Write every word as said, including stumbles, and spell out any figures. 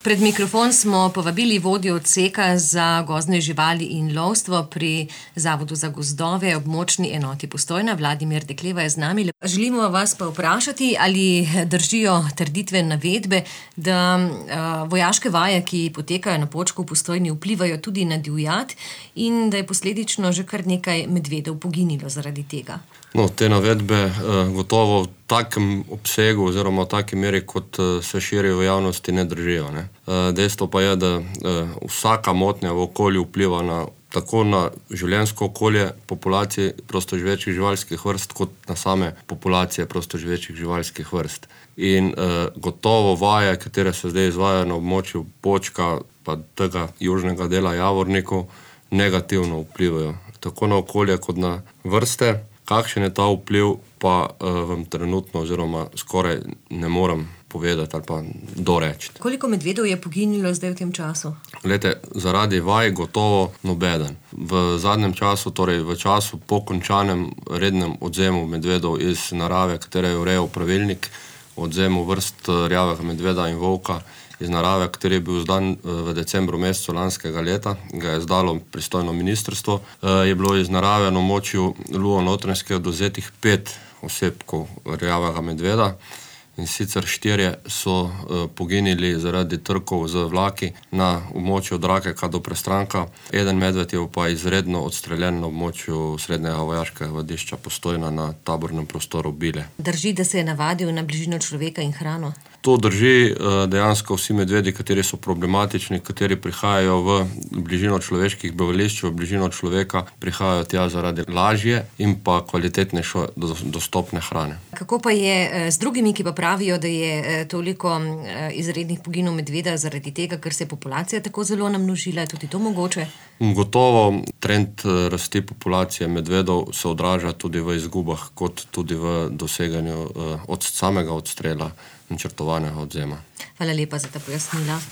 Pred mikrofon smo povabili vodjo odseka za gozdne živali in lovstvo pri Zavodu za gozdove, območni enoti Postojna. Vladimir Dekleva je z nami. Želimo vas pa vprašati, ali držijo trditve, navedbe, da uh, vojaške vaje, ki potekajo na Počku v Postojni, vplivajo tudi na divjad in da je posledično že kar nekaj medvedov poginilo zaradi tega. No, te navedbe uh, gotovo v takem obsegu oziroma v taki meri, kot uh, se širijo v javnosti, ne držijo. Ne? Uh, dejstvo pa je, da uh, vsaka motnja v okolju vpliva na, tako na življenjsko okolje populacije prostoživečih živalskih vrst, kot na same populacije prostoživečih živalskih vrst. In uh, gotovo vaje, katere se zdaj izvajajo na območju Počka, pa tega južnega dela Javornikov, negativno vplivajo tako na okolje kot na vrste. Kakšen je ta vpliv, pa uh, vam trenutno oziroma skoraj ne morem povedati ali pa doreči. Koliko medvedov je poginilo zdaj v tem času? Glejte, zaradi vaj gotovo nobeden. V zadnjem času, torej v času po končanem rednem odzemu medvedov iz narave, katere je urejal pravilnik o odzemu vrst rjavega medveda in volka iz narave, kateri je bil zdan v decembru mesecu lanskega leta, ga je izdalo pristojno ministrstvo, je bilo iz narave na območju Luo-Notranjske odvzetih pet osebkov rjavega medveda, in sicer štirje so poginili zaradi trkov z vlaki na območju od Rakeka do Prestranka. Eden medved je pa izredno odstreljen na območju srednjega vojaškega vadišča Postojna na tabornem prostoru Bile. Drži, da se je navadil na bližino človeka in hrano? To drži. Dejansko vsi medvedi, kateri so problematični, kateri prihajajo v bližino človeških bivališč, v bližino človeka, prihajajo tja zaradi lažje in pa kvalitetnejše dostopne hrane. Kako pa je z drugimi, ki pa pravijo, da je toliko izrednih poginov medveda zaradi tega, ker se je populacija tako zelo namnožila? Je tudi to mogoče? Gotovo trend rasti populacije medvedov se odraža tudi v izgubah, kot tudi v doseganju od samega odstrela načrtovanega odzema. Hvala lepa za ta pojasnila.